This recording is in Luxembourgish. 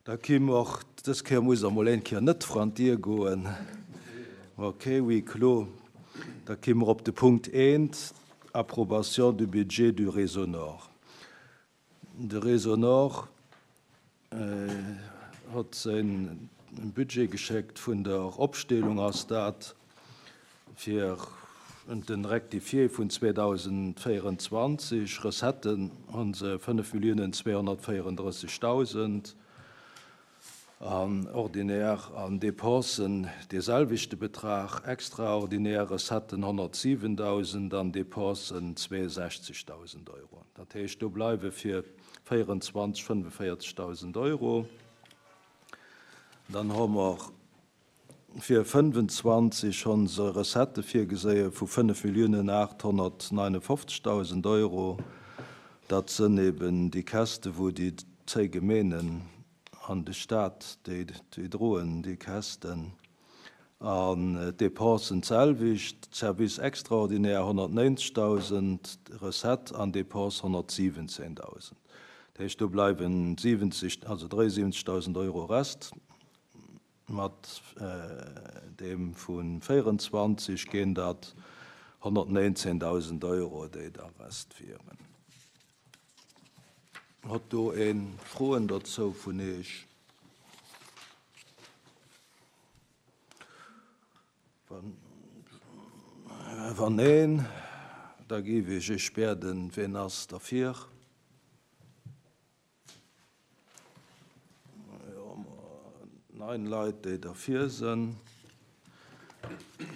Da ki mer, dës Kéier muss Der emol eng Kéier net vran d'Dier goen. Ok, huis clos. Da ki mer op de Punkt eent, Approbation du budget du Réseau Nord. De Réseau Nord hott säin Budget geschéckt. Vun der Opsteelung ass dat fir den Rectifié vun 2024. Recetten hu se 5.234.000. An ordinär an Dépensen dee selwechte Betrag, extraordinär Recetten 107.000 an Dépensen 62.000 Euro. Dat heescht, do bleiwe fir 24 45.000 Euro. Dann hu mer fir 25 schonns e Recettë virgeséie vu 5.859.000 Euro. Dat sënn eben déi Käste wou déi zéi Gemeenen an de Stat, déi droen déi Kästen. An d'Dépensen d'selwecht, Service extraordinaire 190.000, Recette an Dépense 117.000. Dat heescht, do bleiwen 70, also 73.000 Euro Rest. Mat deem vu 24 ginn dat 119.000 Euro, déi da Rest wieren. Hott do ee Froen dozou vun Iech? Wann neen, da géif ech Iech bieden, wien ass derfir? Jo, 9 Leit, déi derfir sinn.